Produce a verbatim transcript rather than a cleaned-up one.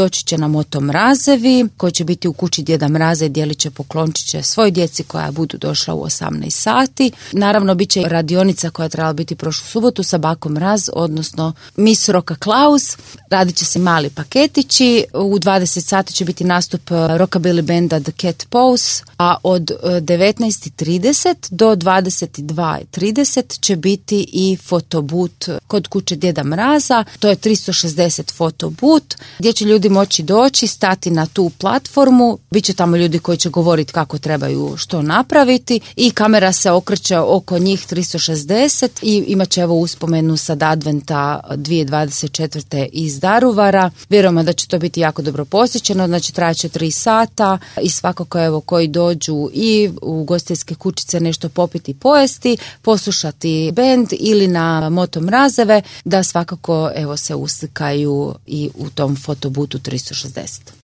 doći će na Moto Mrazevi koji će biti u kući Djeda Mraza i dijelit će poklončiće svoj djeci koja budu došla u osamnaest sati. Naravno, bit će radionica koja je trebala biti prošlu subotu sa Bako Mraz, odnosno Miss Roka Klaus. Radit će se mali paketići. U dvadeset sati će biti nastup rockabilly benda The Cat Pose, a od devetnaest i trideset do dvadeset dva i trideset će biti i fotobut kod kuće Djeda Mraza. To je tristo šezdeset fotobut gdje će ljudi moći doći, stati na tu platformu. Biće tamo ljudi koji će govoriti kako trebaju što napraviti i kamera se okreće oko njih tristo šezdeset i imat će evo uspomenu sad adventa dvije tisuće dvadeset četvrte iz Daruvara. Vjerujemo da će to biti jako dobro posjećeno, znači trajaće tri sata i svakako evo koji dođu i u gostiteljske kućice nešto popiti i pojesti, poslušati bend ili na Moto Mrazeve, da svakako evo se uslikaju i u tom fotobutu tristo šezdeset.